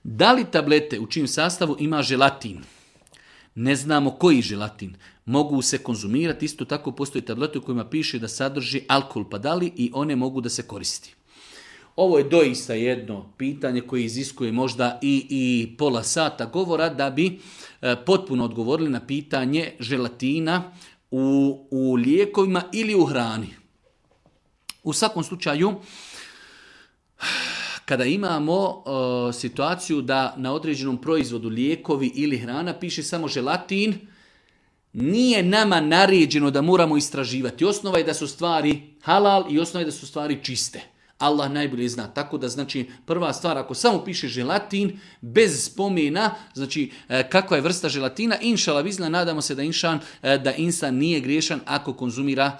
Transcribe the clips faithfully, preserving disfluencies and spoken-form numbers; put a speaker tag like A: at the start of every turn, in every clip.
A: Da li tablete u čijem sastavu ima želatin? Ne znamo koji želatin. Mogu se konzumirati, isto tako postoji tablete u kojima piše da sadrži alkohol, pa da li i one mogu da se koristi? Ovo je doista jedno pitanje koje iziskuje možda i, i pola sata govora da bi e, potpuno odgovorili na pitanje želatina u, u lijekovima ili u hrani. U svakom slučaju, kada imamo e, situaciju da na određenom proizvodu lijekovi ili hrana piše samo želatin, nije nama naređeno da moramo istraživati. Osnova je da su stvari halal i osnova je da su stvari čiste. Allah najbolje zna. Tako da, znači, prva stvar, ako samo piše želatin, bez spomena, znači, kakva je vrsta želatina, inšala vizna, nadamo se da inšan, da insan nije griješan ako konzumira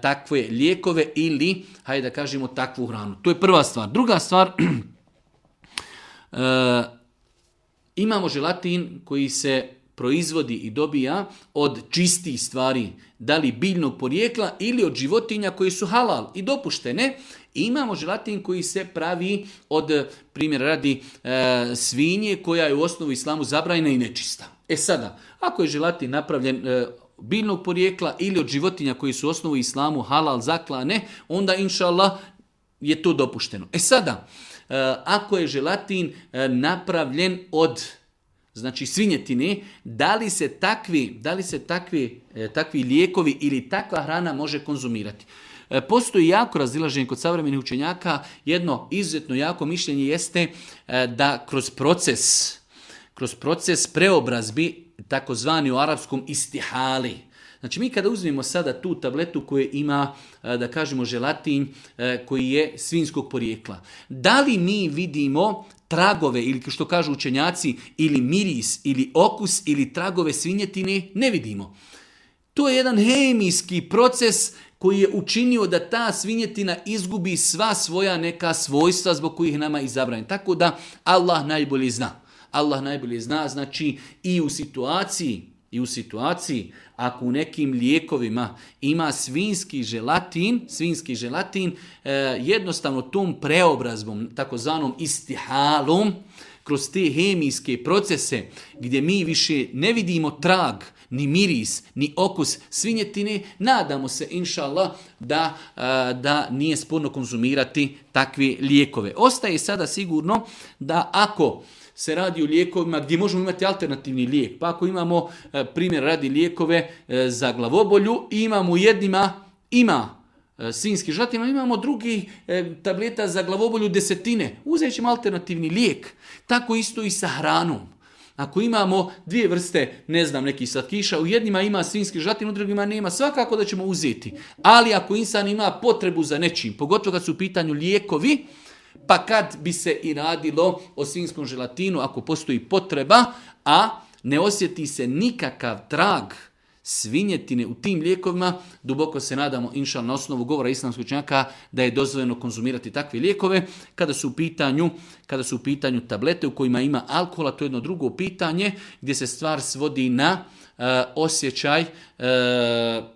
A: takve lijekove ili, hajde da kažemo, takvu hranu. To je prva stvar. Druga stvar, imamo želatin koji se proizvodi i dobija od čistih stvari, da li biljnog porijekla ili od životinja koji su halal i dopuštene. I imamo želatin koji se pravi od, primjer radi, e, svinje koja je u osnovu islamu zabranjena i nečista. E sada, ako je želatin napravljen e, biljnog porijekla ili od životinja koji su u osnovu islamu halal zaklane, onda inša Allah je to dopušteno. E sada, e, ako je želatin e, napravljen od, znači, svinjetine, da li se takvi, da li se takvi, e, takvi lijekovi ili takva hrana može konzumirati? E, postoji jako razilaženje kod savremenih učenjaka. Jedno izuzetno jako mišljenje jeste e, da kroz proces, kroz proces preobrazbi, takozvani u arapskom istihali. Znači, mi kada uzmemo sada tu tabletu koja ima, e, da kažemo, želatin e, koji je svinjskog porijekla, da li mi vidimo tragove, ili što kažu učenjaci, ili miris, ili okus, ili tragove svinjetine? Ne vidimo. To je jedan hemijski proces koji je učinio da ta svinjetina izgubi sva svoja neka svojstva zbog kojih nama je zabranjeno. Tako da Allah najbolje zna. Allah najbolje zna, znači i u situaciji, i u situaciji ako u nekim lijekovima ima svinjski želatin, svinjski želatin, eh, jednostavno tom preobrazbom, takozvanom istihalom, kroz te hemijske procese gdje mi više ne vidimo trag, ni miris, ni okus svinjetine, nadamo se, inša Allah, da, da nije sporno konzumirati takve lijekove. Ostaje sada sigurno da ako se radi o lijekovima gdje možemo imati alternativni lijek, pa ako imamo, primjer radi, lijekove za glavobolju, imamo u jednima, ima svinjski želatin, imamo drugi e, tableta za glavobolju desetine. Uzet ćemo alternativni lijek. Tako isto i sa hranom. Ako imamo dvije vrste, ne znam, nekih slatkiša, u jednima ima svinjski želatin, u drugima nema, svakako da ćemo uzeti. Ali ako insan ima potrebu za nečim, pogotovo kad su u pitanju lijekovi, pa kad bi se i radilo o svinjskom želatinu, ako postoji potreba, a ne osjeti se nikakav trag svinjetine u tim lijekovima, duboko se nadamo, inša Allah, na osnovu govora islamskog učenjaka, da je dozvoljeno konzumirati takve lijekove. Kada su u pitanju, kada su u pitanju tablete u kojima ima alkohola, to je jedno drugo pitanje gdje se stvar svodi na uh, osjećaj uh,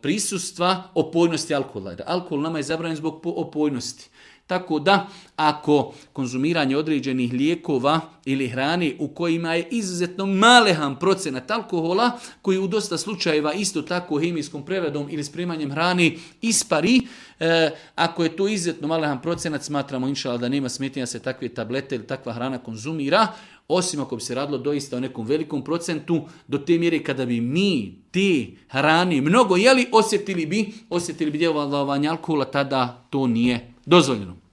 A: prisustva opojnosti alkohola. Alkohol nama je zabranjen zbog opojnosti. Tako da, ako konzumiranje određenih lijekova ili hrane u kojima je izuzetno malehan procenat alkohola, koji u dosta slučajeva isto tako hemijskom preradom ili spremanjem hrane ispari, e, ako je to izuzetno malehan procenat, smatramo inša Allah da nema smetnje da se takve tablete ili takva hrana konzumira, osim ako bi se radilo doista o nekom velikom procentu, do te mjere kada bi mi te hrane mnogo jeli, osjetili bi, osjetili bi djelovanje alkohola, tada to nije dozvoljeno.